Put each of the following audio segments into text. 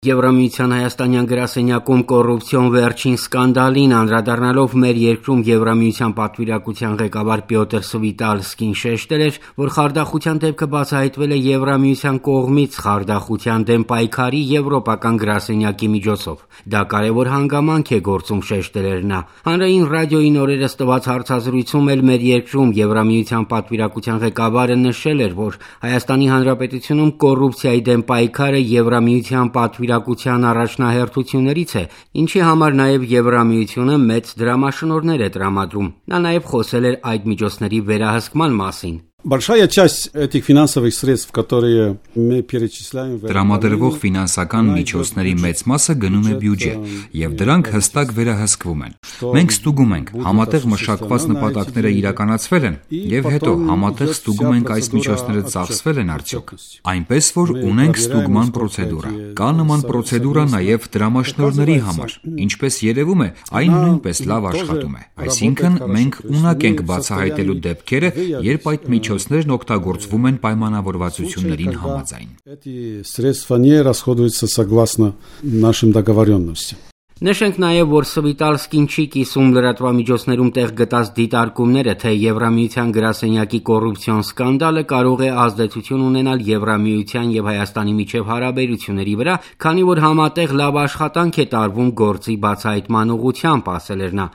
Եվրամիության հայաստանյան գրասենյակում կոռուպցիոն վերջին սկանդալին անդրադառնալով մեր երկրում Եվրամիության պատվիրակության ղեկավար Պյոտր Սվիտալսկին շեշտել էր, որ խարդախության դեպքը բացահայտվել է Եվրամիության կողմից խարդախության դեմ պայքարի եվրոպական գրասենյակի միջոցով։ Դա կարևոր հանգամանք է գործում, շեշտել էր նա։ Հանրային ռադիոյին օրերս տված հարցազրույցում էլ մեր երկրում Եվրամիության պատվիրակության ղեկավարը նշել էր, որ Հայաստանի Հանրապետությունում կոռուպցիայի դեմ պայքարը Եվրամիության պատվիրակության առաջնահերթություններից է, ինչի համար նաև Եվրամիությունը մեծ դրամաշնորհներ է տրամադրում։ Նա նաև խոսել էր այդ միջոցների վերահսկման մասին։ Большая часть этих финансовых средств, которые мы перечисляем, տրամադրվող ֆինանսական միջոցների մեծ մասը գնում է բյուջե, եւ դրանք հստակ վերահսկվում են։ Մենք ստուգում ենք, համատեղ մշակված նպատակները իրականացվել են, եւ հետո համատեղ ստուգում ենք այս միջոցները ծախսվել են արդյոք։ Այնպես որ ունենք ստուգման պրոցեդուրա։ Կա նման պրոցեդուրա նաև դրամաշնորհների համար, ինչպես երևում է, այն նույնպես լավ աշխատում է։ Այսինքն մենք ունակ ենք բացահայտելու դեպքերը, երբ այդ միջոցներն օգտագործվում են պայմանավորվածություններին համաձայն։ Эти средства не расходуются согласно нашим договоренностям. Նշենք նաև, որ Սվիտալսկին չի կիսում լրատվամիջոցներում տեղ գտած դիտարկումները, թե Եվրամիության գրասենյակի կոռուպցիոն սկանդալը կարող է ազդեցություն ունենալ Եվրամիության եւ Հայաստանի միջև հարաբերությունների վրա, քանի որ համատեղ լավ աշխատանք է տարվում գործի բացահայտման ուղղությամբ, ասել էր նա։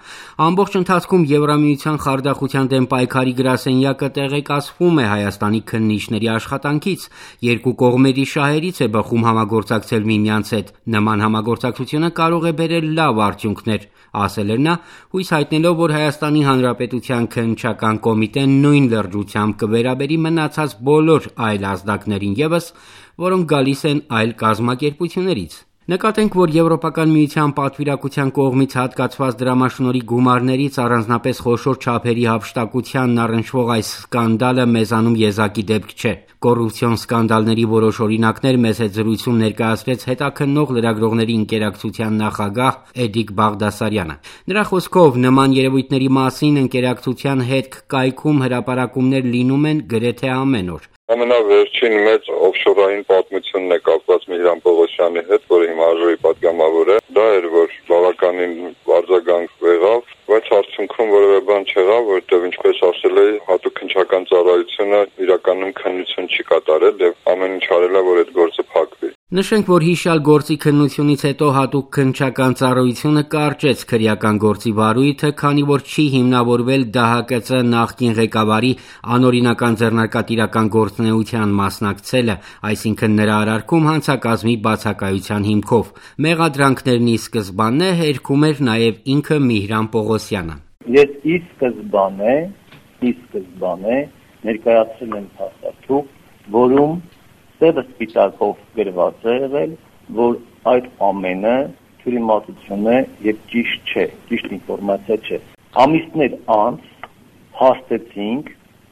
Ամբողջ ընթացքում Եվրամիության խարդախության դեմ պայքարի գրասենյակը տեղեկացվում է Հայաստանի քննիչների աշխատանքից, երկու կողմերի շահերից է բխում համագործակցել միմյանց հետ։ Նման համագործակցությունը կարող է բերել լավ արդյունքներ, ասել էր նա, հույս հայտնելով, որ Հայաստանի Հանրապետության քննչական կոմիտեն նույն լրջությամբ կվերաբերի մնացած բոլոր այլ ազդակներին ևս, որոնք գալիս են այլ կազմակերպություններից։ Նկատենք, որ Եվրոպական միության պատվիրակության կողմից հատկացված դրամաշնորհի գումարներից առանձնապես խոշոր չափերի հափշտակությանն առնչվող այս սկանդալը մեզանում եզակի դեպք չէ։ Կոռուպցիոն սկանդալների որոշ օրինակներ մեզ հետ զրույցում ներկայացրեց հետաքննող լրագրողների ընկերակցության նախագահ Էդիկ Բաղդասարյանը։ Նրա խոսքով նման երևույթների մասին ընկերակցության հետ կայքում հրապարակումներ լինում են գրեթե ամեն օր։ Ամենավերջին մեծ օֆշորային պատմությունն է կապված Միհրան Պողոսյանի հետ, որը հիմա ԱԺ-ի պատգամավոր է։ Դա էր, որ բավականին արձագանք եղավ, բայց արդյունքում որևէ բան չեղավ, որովհետև ինչպես ասել էի, հատուկ քննչական ծառայությունը իրականում քննություն չի կատարել եւ ամեն ինչ արել է, որ այդ գործը փակվի։ Նշենք, որ հիշյալ գործի քննությունից հետո հատուկ քննչական ծառայությունը կարճեց քրեական գործի վարույթը, քանի որ չի հիմնավորվել ԴՀԿՑ նախկին ղեկավարի անօրինական ձեռնարկատիրական գործունեության մասնակցելը, այսինքն նրա արարքում հանցակազմի բացակայության հիմքով։ Մեղադրանքներն ի սկզբանե հերքում էր նաև ինքը Միհրան Պողոսյանը։ Ես ի սկզբանե ներկայացրել եմ փաստաթուղթ, որում սևը սպիտակով գրված է եղել, որ այդ ամենը թյուրիմացություն է եւ ճիշտ չէ, ճիշտ ինֆորմացիա չէ։ Ամիսներ անց հաստեցինք,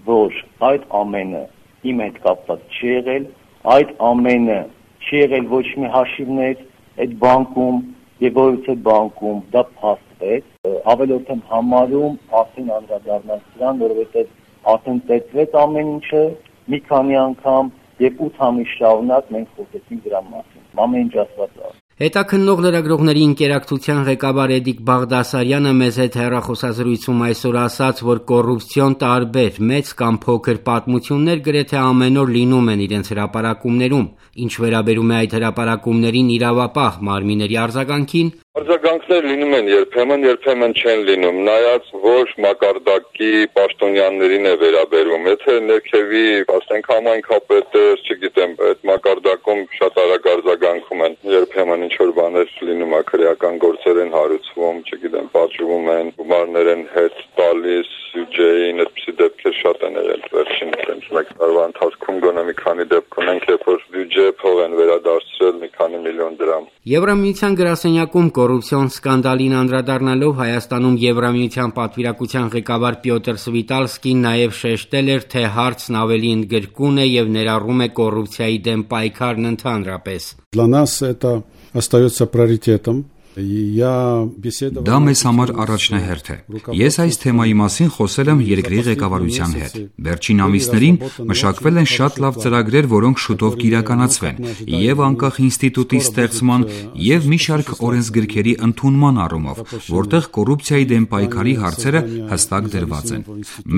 որ այդ ամենը իմ հետ կապված չի եղել, այդ ամենը չի եղել ոչ մի հաշիվներ այդ բանկում եւ որովհետեւ բանկում դա փաստվեց, ավելորդ եմ համարում արդեն անդրադառնալ սրան, որովհետեւ արդեն տեսվեց ամեն ինչը մի քանի անգամ Եվ 8 ամիս շարունակ մենք խոսեցինք դրա մասին։ Ամեն ինչ ասված է։ Հետաքննող լրագրողների ընկերակցության ղեկավար Էդիկ Բաղդասարյանը մեզ հետ հեռախոսազրույցում այսօր ասաց, որ կոռուպցիոն տարբեր մեծ կամ փոքր պատմություններ գրեթե ամեն օր լինում են իրենց հրապարակումներում։ Ինչ վերաբերում է այդ հրապարակումներին իրավապահ մարմինների արձագանքին, արձագանքներ լինում են երբեմն չեն լինում, նայած որ մակարդակի պաշտոնյաներին է վերաբերում։ Եթե ներքևի, ասենք համայնքապետը, չգիտեմ, այդ մակարդակում շատ արագ արձագանքում են, երբեմն ինչ որ բաներ լինում է, քրեական գործեր են հարուցվում, չգիտեմ, պատժվում են, գումարներ են հետ տալիս բյուջեին, այդպիսի դեպքեր շատ են եղել վերջին մեկ տարվա ընթացքում գոնե մի քանի դեպք ունենք, երբ որ բյուջե փող են վերադարձրել մի քանի միլիոն դրամ։ Եվրամիության գրասենյակում կոռուպցիոն սկանդալին անդրադառնալով Հայաստանում Եվրամիության պատվիրակության ղեկավար Պյոտր Սվիտալսկին նաև շեշտել էր, թե հարցն ավելի ընդգրկուն է եւ ներառում է կոռուպցիայի դեմ պայքարն ընդհանրապես։ Для нас это остается приоритетом. Դա մեզ համար առաջնահերթ է։ Ես այս թեմայի մասին խոսել եմ երկրի ղեկավարության հետ։ Վերջին ամիսներին մշակվել են շատ լավ ծրագրեր, որոնք շուտով կիրականացվեն, եւ անկախ ինստիտուտի ստեղծման, եւ մի շարք օրենսգրքերի ընդունման առումով, որտեղ կոռուպցիայի դեմ պայքարի հարցերը հստակ դրված են։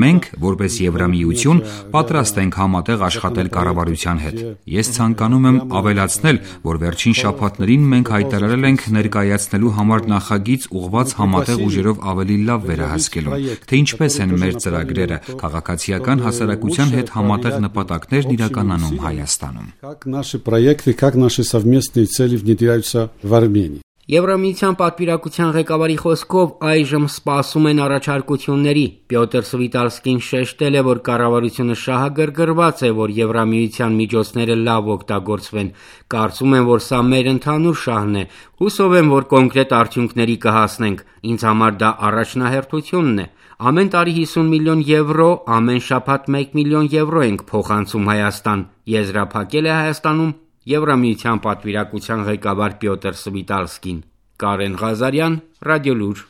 Մենք, որպես Եվրամիություն, պատրաստ ենք համատեղ աշխատել կառավարության հետ։ Ես ցանկանում եմ ավելացնել, որ վերջին շաբաթներին մենք հայտարարել ենք ներկայացնելու համար նախագիծ ուղղված համատեղ ուժերով ավելի լավ վերահսկելուն, թե ինչպես են մեր ծրագրերը քաղաքացիական հասարակության հետ համատեղ նպատակներն իրականանում Հայաստանում։ Եվրամիության պատվիրակության ղեկավարի խոսքով այժմ սպասում են առաջարկությունների։ Պյոտր Սվիտալսկին շեշտել է, որ կառավարությունը շահագրգռված է, որ Եվրամիության միջոցները լավ օգտագործվեն։ Կարծում եմ, որ սա մեր ընդհանուր շահն է։ Հուսով եմ, որ կոնկրետ արդյունքների կհասնենք։ Ինձ համար դա առաջնահերթությունն է։ Ամեն տարի 50 միլիոն եվրո, ամեն շաբաթ 1 միլիոն եվրո ենք փոխանցում Հայաստան։ Եզրափակել է Հայաստանում Եվրամիության պատվիրակության ղեկավար Պյոտր Սվիտալսկին։ Կարեն Ղազարյան, Ռադիոլուր։